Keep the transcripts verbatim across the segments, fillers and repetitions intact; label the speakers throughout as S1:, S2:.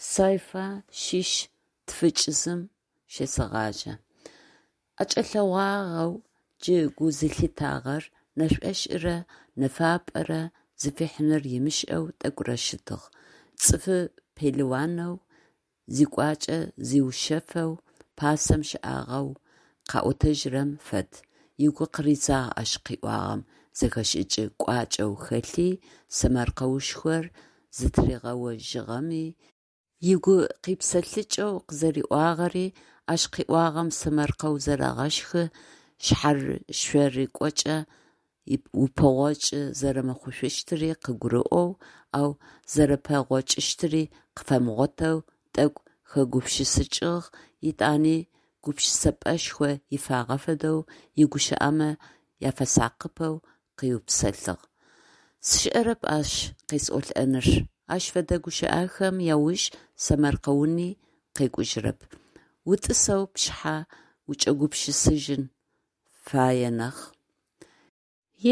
S1: Сайфа шъищ тфыкӏ зым щесэгъажъэ. ӀэкӀэлъэгъуагъэу джы гу зылъитагъэр нэшӀошӀырэ нэфапӀэрэ зыфихьынур ымышӀэу тӀэкӀурэ щытыгъ. ЦӀыфы пелыуанэу, зикӀуачӀэ зиушъэфэу пасэм щыӀагъэу къаӀотэжьырэм фэд, ыгу къыридзагъ ащ къыӏуагъэм зэхэшӀыкӀ кӀуачӀэу хэлъи, сэмэркъэушхор зытыригъэожьыгъэми, ыгу къипсэлъыкӀэу къызэриӀуагъэри, ащ къыӀуагъэм сэмэркъэу зэрэгъэщхы шъхьэшъорыкӀокӀэ упэгъокӀы зэрэмыхъушъущтыри къыгурыӀоу, ау зэрэпэгъокӀыщтыри къыфэмыгъотэу тӀэкӀу хэгупшысыкӀыгъ, етӀани гупшысэпӀэшхо ифагъэ фэдэу, игущыӀэмэ афэсакъыпэу къыупсэлъыгъ: «СшӀэрэп ащ къесӀолӀэнур, ащ фэдэ гущыӀэхэм ауж сэмэркъэуни къекӀужьырэп, утӀысэу пшъхьэ укӀэгупшысэжьын фае нахь.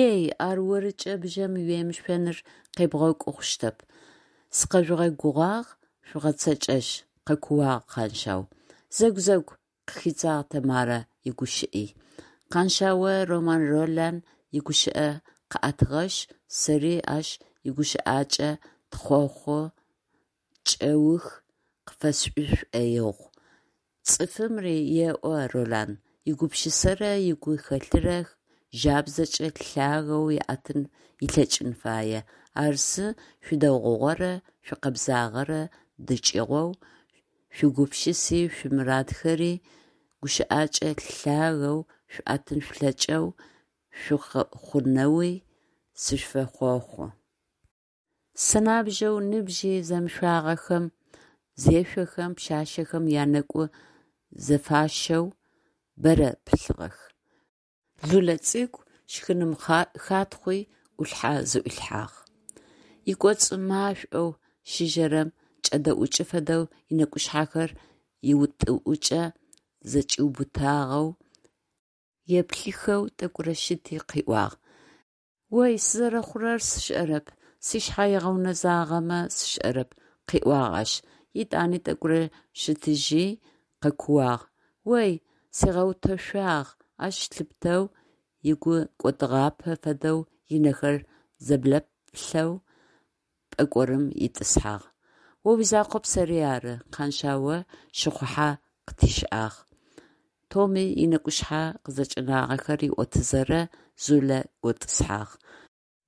S1: Ей, ар орыкӀэ бжьэм уемышъоныр къебгъэкӀу хъущтэп, сыкъэжъугъэгугъагъ, жъугъэцэкӀэжь! – къэкууагъ Къаншъау. Зэгу, зэгу, – къыхидзагъ Тэмарэ игущыӀи. Къаншъао Роман Ролан игущыӀэ къыӏэтыгъэшъ, сэри ащ игущыӀакӀэ тхъохъу кӀэух къыфэсшӀы сшӀоигъу: «Цӏыфым, – еӏо Ролан, – игупшысэрэ игу хэлъырэ жабзэкӏэ лъагэу ыӏэтын ылъэкӏын фае, ар зы, шъуидэгъугъэрэ шъуикъэбзагъэрэ дыкӏыгъоу, шъуигупшыси шъуимурадхэри гущыӏэкӏэ лъагэу шъуӏэтын шъулъэкӏэу шъухъунэуи сышъуфэхъохъу». Сэнабжъэу ныбжьи зэмышъуагъэхэм зешъохэм, пшъашъэхэм янэкӀу зэфащэу бэрэ пылъыгъэх. Лулэ цӀыкӀу щхыным хатхъуи Ӏулъхьэ зыӀуилъхьагъ. ЫкӏоцӀ машӀоу щыжъэрэм кӀэдэӀукӀы фэдэу ынэкӀушъхьэхэр иутӀыӀукӀэ зэкӀиубытагъэу еплъыхэу тӀэкӀурэ щыти къыӏуагъ: «Ой, сызэрэхъурэр сшӀэрэп, сшъхьэ ыгъэунэзагъэмэ сшӀэрэп», – къыӀуагъ ащ. ЕтӀани тӀэкӀурэ щытыжьи къэкууагъ: «Ой, сигъэутэшъуагъ!» Ащ лъыпытэу ыгу кӀодыгъапэ фэдэу ынэхэр зэблэплъэу пӀэкӀорым итӀысхьагъ. О уизакъоп, сэри ары, – Къаншъао щыхъухьэ къытишӀагъ, – Томи ынэкӀушъхьэ къызэкӀэнагъэхэр ыӀотэзэрэ Зулэ готӀысхьагъ.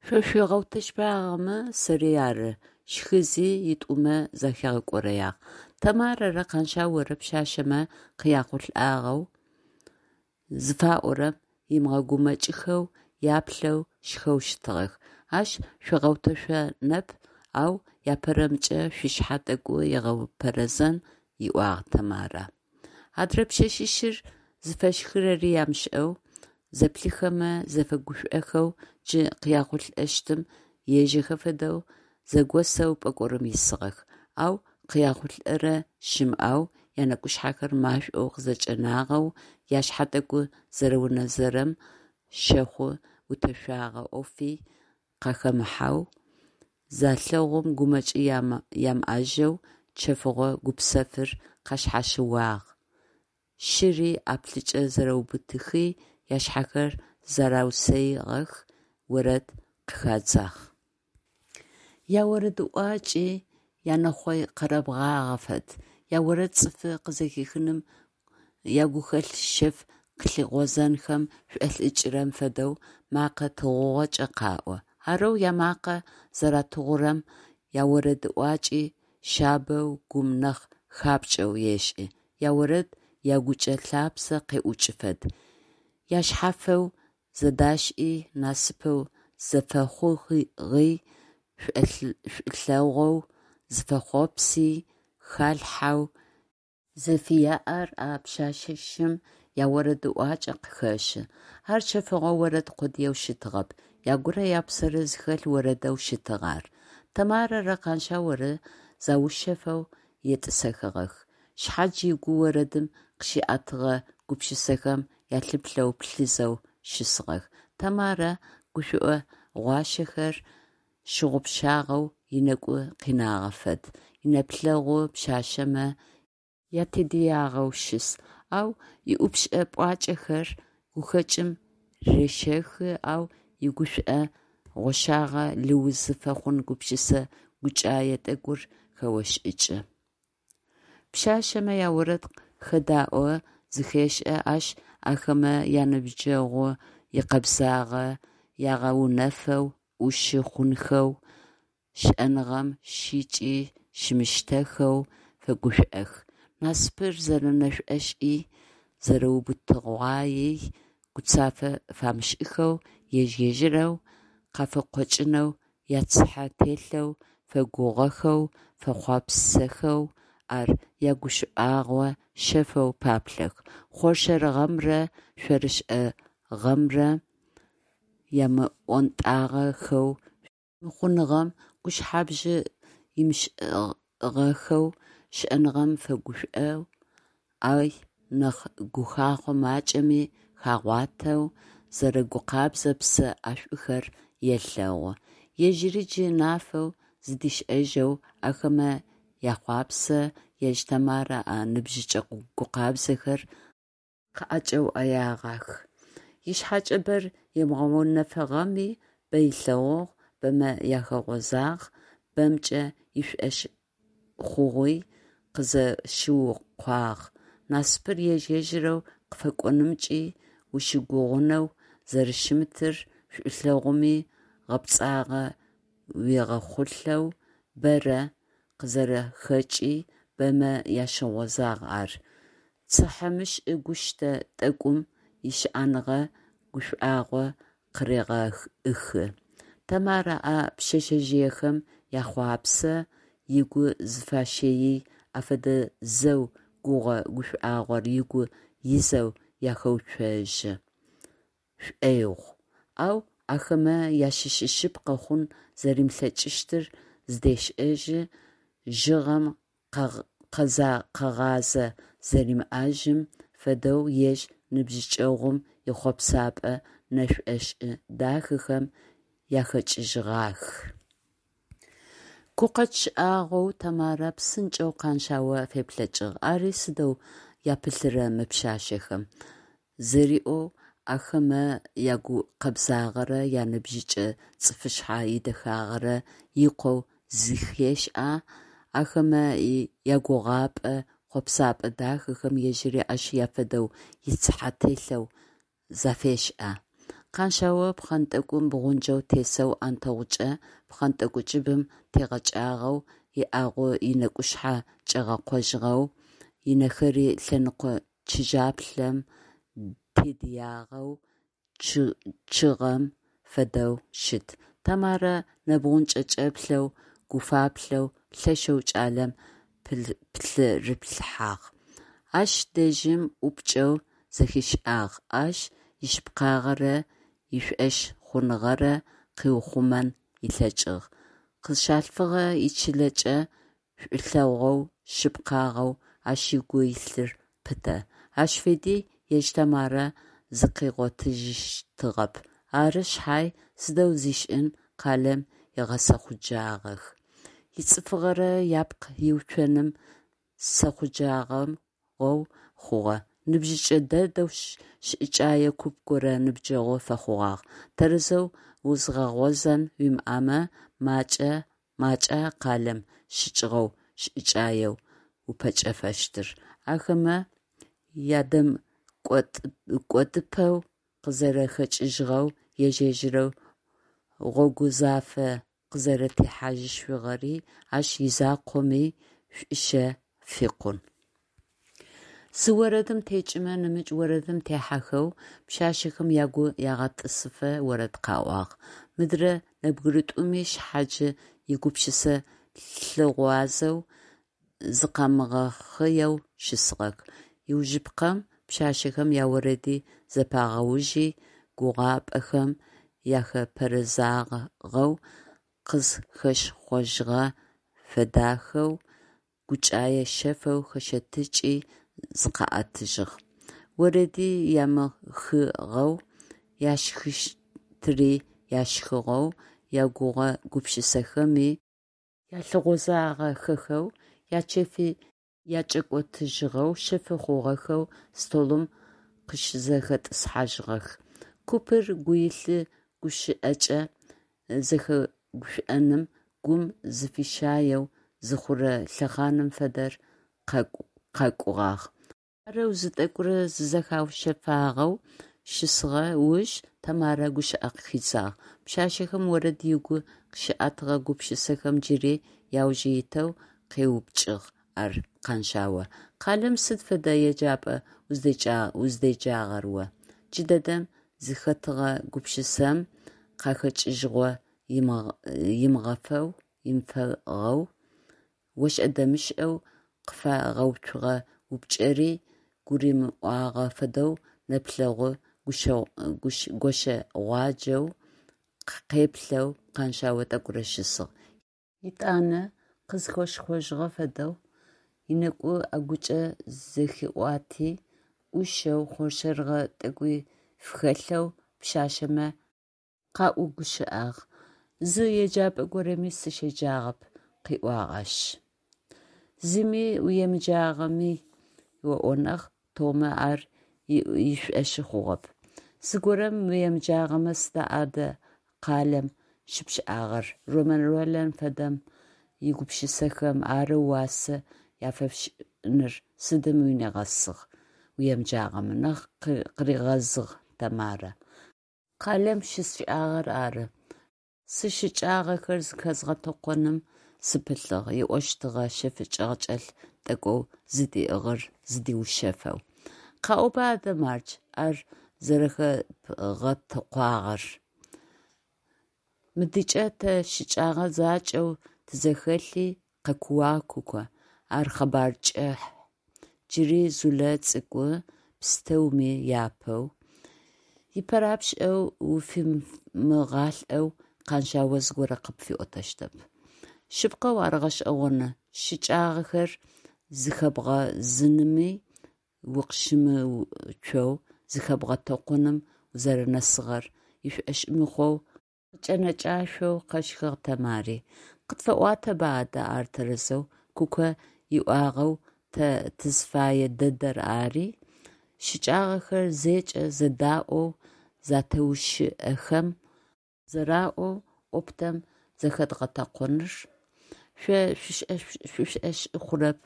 S1: Шъо шъуигъэутэшъуагъэмэ, сэри ары, – щхызи итӀумэ захигъэкӀорэягъ. Тэмарэрэ Къаншъаорэ пшъашъэмэ къяхъулӀагъэу зыфаӀорэм ымыгъэгумэкӀхэу, яплъэу, щхэу щытыгъэх. Ащ шъуигъэутэшъонэп, ау апэрэмкӀэ шъушъхьэ тӀэкӀу ыгъэупэрэзэн, – ыӀуагъ Тэмарэ. Адрэ пшъэшъищыр зыфэщхырэри амышӀэу, зэплъыхэмэ зэфэгушӀохэу, джы къяхъулӀэщтым ежэхэ фэдэу, зэгосэу пӀэкӀорым исыгъэх. Ау къяхъулӀэрэ щымыӀэу, янэкӀушъхьэхэр машӀоу къызэкӀэнагъэу, ашъхьэ тӀэкӀу зэрэунэзэрэм щэхъу утэшъуагъэ Ӏофи къахэмыхьэу залъэгъум, гумэкӀ ямыӀэжьэу чэфыгъо гупсэфыр къашъхьащыуагъ, щыри ӀаплӀыкӀэ зэрэубытыхи, ашъхьэхэр зэраусэигъэх, орэд къыхадзагъ. ЯорэдыӀуакӀи янэхъой къэрэбгъагъэ фэд, яорэд цӀыфы къызэхихыным, ягухэлъ шъэф къылъыгъозэнхэм шӀолӀыкӀырэм фэдэу мэкъэ тыгъугъэкӀэ къаӀо. Арэу ямакъэ зэратыгъурэм яорэдыӀуакӀи шъабэу, гум нахь хапкӀэу ешӀы, яорэд ягучӀэ лъапсэ къеӀукӀы фэд. Яшъэфэу зэдашӀи, насыпэу зэфэхъугъи, шӀулъэгъоу зэфэхъопси, халъхьэу зэфыяӀэр а пшъэшъищым яорэдыӀуакӀэ къыхэщы. Ар чэфыгъо орэд къодыеу щытыгъэп, ягурэ япсэрэ зыхэлъ орэдэу щытыгъ ар. Тэмарэрэ Къаншъаорэ заушъэфэу етӀысэхыгъэх. Шъхьадж ыгу орэдым къыщиӀэтыгъэ гупшысэхэм ялъыплъэу плъызэу щысыгъэх. Тэмарэ гушӀо гъуащэхэр щыгъупшагъэу ынэгу къинагъэ фэд, инэплъэгъу пшъашъэмэ ятедыягъэу щыс, ау ыӏупшӏэ пӏуакӏэхэр гухэкӏым рещэхы, ау игушӏо гъощагъэ лыузы фэхъун гупшысэ гукӏае тӏэкӏур хэошӏыкӏы. Пшъашъэмэ яорэд хэдаӏо, зэхешӏэ ащ ахэмэ яныбджэгъу икъэбзагъэ, ягъэунэфэу, ӏушы хъунхэу, щыӏэныгъэм щыкӏи щымыщтэхэу фэгушӏох, насыпыр зэрэнэшӏошӏи, зэрэубытыгъуаий гуцафэ фамышӏыхэу, ежь-ежьырэу къафыкъокӏынэу яцыхьэ телъэу фэгугъэхэу, фэхъуапсэхэу, ар ягушӏуагъо шъэфэу паплъэх, хъоршэрыгъэмрэ шъорышӏыгъэмрэ ямыӏонтӏагъэхэу, мыхъуныгъэм гушъхьэбжь имышӏыгъэхэу, щыӏэныгъэм фэгушӏоу, ay нахь гухахъо макӏэми хагъуатэу, зэрэгукъэбзэ псэ ӏэшӏухэр елъэгъу. Ежьыри джы нафэу зыдишӏэжьэу ахэмэ яхъуапсэ, ежь Тэмарэ а ныбжьыкӏэ гукъабзэхэр къыӏэкӏэуӏэягъэх. Ышъхьэкӏэ бэр ымыгъэунэфыгъэми, бэ ылъэгъугъ, бэмэ ахэгъозагъ, бэмкӏэ ишӏошъ хъугъуи къызэщыукъуагъ, насыпыр ежь-ежьырэу къыфэкӏонымкӏи ущыгугъынэу зэрэщымытыр, шӏулъэгъуми гъэпцӏагъэ уигъэхъулӏэу бэрэ къызэрэхэкӏи, бэмэ ащыгъозагъ ар, цыхьэмышӏ гуштэ тӏэкӏум ищыӏэныгъэ гушӏуагъо къырегъэӏыхы. Тэмарэ а пшъэшъэжъыехэм яхъуапсэ, ыгу зыфащэий афэдэ зэу гугъэ гушӏуагъор ыгу изэу ахэуцожьы шӏоигъу, ау ахэмэ ащыщ шъыпкъэ хъун зэримылъэкӏыщтыр зыдешӏэжьы, жъыгъэм къэгъазэ зэримыӏэжьым фэдэу ежь ныбжьыкӏэгъум ихъопсэпӏэ нэшӏошӏы дахэхэм ахэкӏыжьыгъах. Гукъэкӏ шӏагъоу Тэмарэ псынкӏэу Къаншъао феплъэкӏыгъ, ари сыдэу япылъыра мы пшъашъэхэм? Зэриӏоу, ахэмэ ягукъэбзагъэрэ яныбжьыкӏэ цӏыфышъхьэ идэхагъэрэ икъоу зэхешӏа, ахэмэ ягугъапӏэ хъопсэпӏэ дахэхэм ежьыри ащ афэдэу ицыхьэ телъэу зафешӏа? Къаншъао пхъэнтӏэкӏум бгъунджэу тесэу ӏонтэгъукӏэ пхъэнтӏэкӏу кӏыбым тегъэкӏагъэу, ыӏэгу ынэкӏушъхьэ кӏэгъэкъожьыгъэу, ынэхэри лъэныкъо чыжьаплъэм тедыягъэу чъыгъэм фэдэу щыт. Тэмарэ нэбгъунджэ кӏэплъэу, гуфаплъэу, лъэшэу кӏалэм пхырыплъыхьагъ. Ащ дэжьым ӏупкӏэу зэхишӏагъ ащ ишъыпкъагъэрэ ишӏошъ хъуныгъэрэ къыухъумэн ылъэкӏыгъ, къызщалъфыгъэ ичылэкӏэ шӏулъэгъоу, шъыпкъагъэу ащ ыгу илъыр пытэ. Ащ фэди ежь Тэмарэ зыкъигъотыжьыщтыгъэп. Ары шъхьай, сыдэу зишӏын, къалэм ыгъэсэхъуджагъэх. Ицӏыфыгъэрэ ыпкъ иуцоным сэхъуджагъэу хъугъэ. Ныбжьыкӏэ дэдэу шӏыкӏэе куп горэ ныбджэгъу фэхъугъагъ. Тэрэзэу узгъэгъозэн уимыӏэмэ, макӏа къалэм щыкӏыгъэу шӏыкӏаеу упэкӏэфэщтыр, ахэмэ ядэмыкӏодыпэу къызэрэхэкӏыжьыгъэу, ежь-ежьырэу гъогу зафэ къызэрэтехьажьышъугъэри ащ изакъоми шӏущэ фикъун. Зы орэдым текӏымэ нэмыкӏ орэдым техьэхэу пшъашъэхэм агу ягъэтӏысыфэ орэд къаӏуагъ. Мыдрэ нэбгыритӏуми шъхьаджи игупшысэ лъыгъуазэу, зыкъамыгъэхъыеу щысыгъэх. Ыужыпкъэм пшъашъэхэм яорэди зэпагъэужьи, гугъапӏэхэм яхэпэрэзагъэу, къызхэшхъожьыгъэ фэдэхэу, гукӏае шъэфэу хэщэтыкӏи, зыкъаӏэтыжьыгъ. Орэди ямыхыгъэу, яшхыщтыри яшхыгъэу, ягугъэ-гупшысэхэми Ялъыгъозагъэхэхэу, ячэфи якӏэкӏотыжьыгъэу, шъэфы хъугъэхэу столым къыщызэхэтӏысхьажьыгъэх. Купыр гуилъы гущыӏэкӏэ зэхэгушӏоным гум зыфищаеу зыхъурэ лъэхъаным фэдэр къакӏугъагъ. Арэу зы тӏэкӏурэ зызэхаушъэфагъэу щысыгъэ уж Тэмарэ гущыӏэ хидзагъ: Пшъашъэхэм орэд ыгу къыщиӏэтыгъэ гупшысэхэм джыри ауж итэу къеупчӏыгъ ар Къаншъао: «Къалэм сыд фэдэ еджапӏа уздеджагъэр о?» Джыдэдэм зыхэтыгъэ гупшысэм къахэкӏыжьыгъо имыфагъэу, ошӏэ-дэмышӏэу къыфагъэуцугъэ упчӏэри гурымыӏуагъэ фэдэу нэплъэгъу гощэгъуаджэу къеплъэу Къаншъао тӏэкӏурэ щысыгъ. Етӏанэ къызхэхъожьыгъэ фэдэу ынэкӏу ӏэгукӏэ зэхиӏуати, ӏушэу, хъоршэрыгъэ тӏэкӏуи фыхэлъэу пшъашъэмэ къаӏугущыӏагъ: «Зы еджапӏэ горэми сыщеджагъэп», – къыӏуагъ ащ. Зыми уемыджагъэми оӏо нахь, Томэ ар ышӏошъы хъугъэп. Зыгорэм уемыджагъэмэ сыда адэ къалэм щыпшӏагъэр, Ромэн Ролан фэдэм игупшысэхэм арэу уасэ яфэпшӏыныр сыдым унигъэсыгъ уемыджагъэмэ, нахь къыригъэзыгъ Тэмарэ. Къалэм щысшӏагъэр ары. Сищыкӏагъэхэр зыхэзгъэтэкъоным сыпылъыгъ, ыӏощтыгъэ шъэф чӏэгъчӏэлъ тӏэкӏоу зыдиӏыгъыр зыдиушъэфэу. Къаӏоба адэ мардж, ар зэрэхэбгъэтэкъуагъэр? Мыдыкӏэ тэ щыкӏэгъэ закӏэу тызэхэлъи, къэкууагъ Куко, ар къэбар кӏыхь, джыри Зулэ цӏыкӏу, пстэуми япэу. Ыпэрапшӏэу уфимыгъалӏэу Къаншъао зыгорэ къыпфиӏотэщтэп. Шъыпкъэу ар гъэшӏэгъоны, щыкӏагъэхэр зыхэбгъэзыными укъыщымыуцоу зыхэбгъэтэкъоным узэрэнэсыгъэр ышӏошъ мыхъоу къыкӏэнэкӏашъоу къэщхыгъ Тэмари. Къытфэӏуатэба адэ ар тэрэзэу, Куко иӏуагъэу, тэ тызыфэе дэдэр ари, щыкӏагъэхэр зэкӏэ зэдаӏоу зэтеущыӏэхэм зэраӏоу, оптом зэхэдгъэтэкъоныр? Шъо шъушӏошъы хъурэп,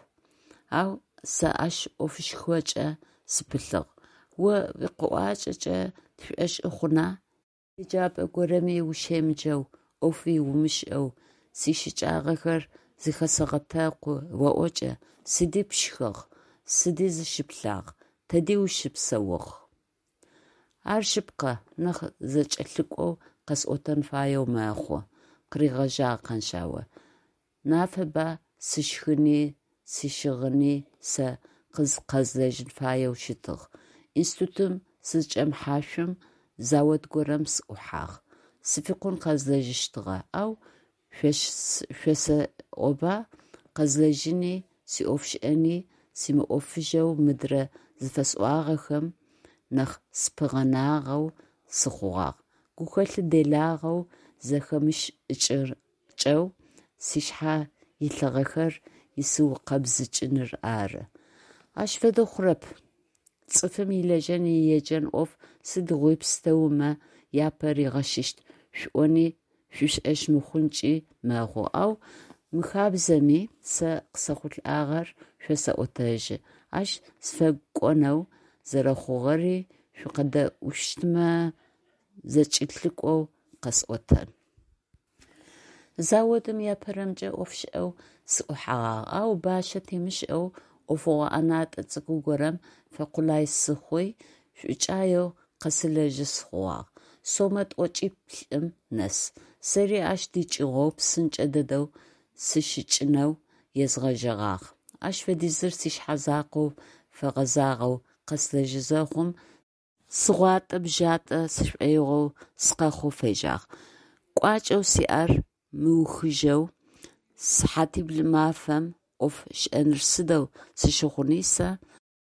S1: ау сэ ащ ӏофышхокӏэ сыпылъыгъ. О уикъэӏуакӏэкӏэ тшӏошъы хъуна? Еджапӏэ горэми ущемыджэу, ӏофи умышӏэу, сищыкӏагъэхэр зыхэсэгъэтэкъу оӏокӏэ, сыди пшхыгъ, сыди зыщыплъагъ, тэди ущыпсэугъ? Ар шъыпкъэ, нахь зэкӏэлъыкӏоу къэсӏотэн фаеу мэхъу, къыригъэжьагъ Къаншъао. Нафэба, сишхыни, сищыгъыни сэ къэзлэжьын фаеу щытыгъ. Институтым сызчӏэмыхьашъум завод горэм сыӏухьагъ. Сыфикъун къэзлэжьыщтыгъэ, ау шъосэӏоба, къэзлэжьыни сиӏофшӏэни симыӏофыжьэу мыдрэ зыфэсӏуагъэхэм нахь сыпыгъэнагъэу сыхъугъагъ. Гухэлъ делагъэу, зэхэмышӏыкӏэу сшъхьэ илъыгъэхэр исыукъэбзыкӏыныр ары. Ащ фэдэу хъурэп. Цӏыфым илэжьэн, иеджэн ӏоф сыдигъуи пстэумэ апэ ригъэшъыщт шъуӏони шъушӏошъ мыхъункӏи мэхъу, ау мыхабзэми, сэ къысэхъулӏагъэр шъосэӏотэжьы, ащ сыфэкӏонэу зэрэхъугъэри, шъукъэдэӏущтмэ, зэкӏэлъыкӏоу къэсӏотэн. Заводым апэрэмкӏэ ӏофышӏэу сыӏухьэгъагъ, ау бащэ темышӏэу ӏофыгъо ӏэнатӏэ цӏыкӏу горэм фэкъулай сыхъуи, шӏукӏаеу къэсылэжьы хъугъагъ, сомэ тӏокӏиплӏым нэс. Сэри ащ дыкӏыгъоу псынкӏэ дэдэу сыщыкӏынэу езгъэжьэгъагъ. Ащ фэдизыр сшъхьэ закъоу фэгъэзагъэу къэслэжьы зэхъум, сыгъуатӏэ-бжьатӏэ сшӏоигъоу сыкъэхъоу фежьагъ. Кӏуачӏэу сиӏэр мыухыжьэу сыхьатибл мафэм ӏоф сшӏэныр сыдэу сщыхъуни сэ?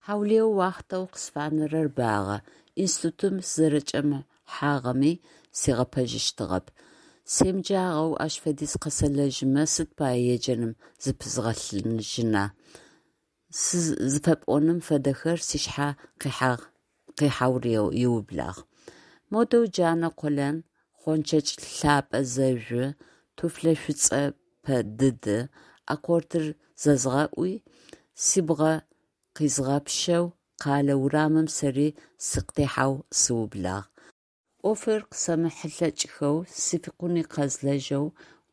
S1: Хьаулыеу уахътэу къысфанэрэр багъэ, институтым сызэрэчӏэмыхьагъэми сигъэпэжьыщтыгъэп. Семыджагъэу ащ фэдиз къэсэлэжьымэ сыд пае еджэным зыпызгъэлъыжьына? Зыфэпӏоным фэдэхэр сшъхьэ къихьэу ыублагъ. Модэу джанэ къолэн, гъончэдж лъэпэ зэжъу, туфлэ шӏуцӏэ пэдыды аккордыр зэзгъэуӏуи, сыбгъэ къизгъэпщэу къэлэ урамым сэри сыкъытехьэу сыублагъ. Ӏофыр къысэмыхьылъэкӏхэу, сификъуни къэзлэжьэу,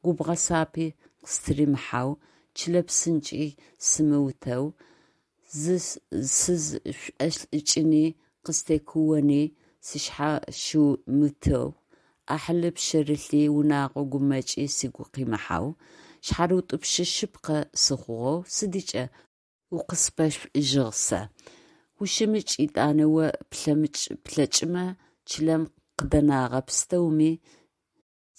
S1: губгъэ-сапи къыстыримыхьэу, чылэ псынкӏи симыутэу, сызшӏолӏыкӏыни къыстекуони сшъхьащымытэу, ӏахьылы пшъэрылъи, унэгъо гумэкӏи сыгу къимыхьэу, шъхьарыутӏупщы шъыпкъэ сыхъугъэу сыдыкӏэ укъысфэшӏужьыгъ сэ! Ущымыкӏ етӏани о плъэмыкӏмэ, чылэм къыдэнэгъэ пстэуми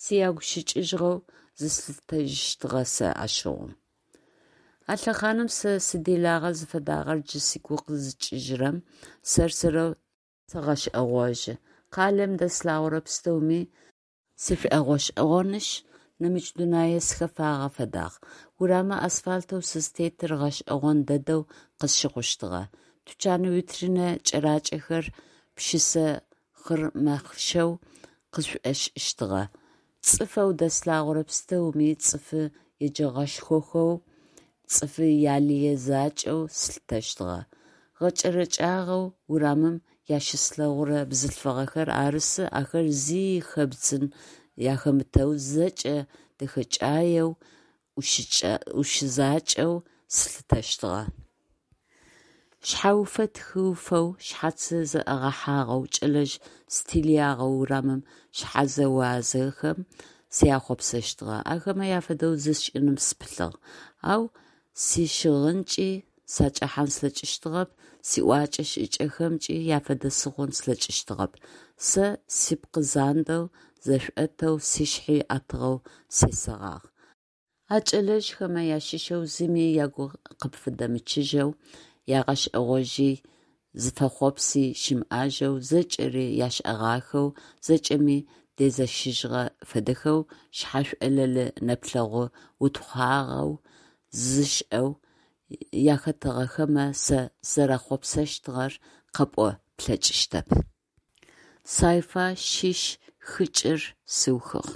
S1: сиягущыкӏыжьыгъэу зыслъытэжьыщтыгъэ сэ ащыгъум. А лъэхъаным сэ сиделагъэ зыфэдагъэр джы сыгу къызыкӏыжьырэм, сэр-сэрэу сэгъэшӏэгъожьы. Къалэм дэслъэгъурэ пстэури сшӏогъэшӏэгъонышъ, нэмыкӏ дунае сыхэфагъэ фэдагъ. Урамы асфальтэу сызтетыр гъэшӏэгъон дэдэу къысщыхъущтыгъэ, тучан витринэ кӏэракӏэхэр пшысэ хъырмэхъшэу къысшӏошӏыщтыгъэ, цӏыфэу дэслъэгъурэ пстэуми цӏыфы еджэгъэшхохэу, цӏыфы ялые закӏэу слъытэщтыгъэ. Гъэкӏэрэкӏагъэу урамым ащыслъэгъурэ бзылъфыгъэхэр арысы ахэр зи хэбдзын ахэмытэу зэкӏэ дэхэкӏаеу, ӏушы закӏэу слъытэщтыгъэ. Шъхьэуфэ тхыуфэу, шъхьацы зэӏыгъэхьагъэу, кӏэлэжъ стилягъэу урамым шъхьэзэуазэхэм сяхъуапсэщтыгъэ, ахэмэ афэдэу зысшӏыным сыпылъыгъ. Ау сищыгъынкӏи сакӏэхьан слъэкӏыщтыгъэп, сиӏокӏэ-шӏыкӏэхэмкӏи афэдэ сыхъун слъэкӏыщтыгъэп. Сэ спкъы зандэу, зэшӏотэу, сшъхьи ӏэтыгъэу сесэгъагъ. А кӏэлэжъхэмэ ащыщэу зыми ягу къыпфыдэмычъыжьэу, ягъэшӏэгъожьи, зыфэхъопси щымыӏэжьэу, зэкӏэри яшӏэгъахэу, зэкӏэми дезэщыжьыгъэ фэдэхэу, шъхьэшӏолэлы нэплъэгъу утхъуагъэу, зышӏэу яхэтыгъэхэмэ сэ сызэряхъуапсэщтыгъэр къэпӏон плъэкӏыщтэп. Сайфа шъищ-хыкӏыр сыухыгъ.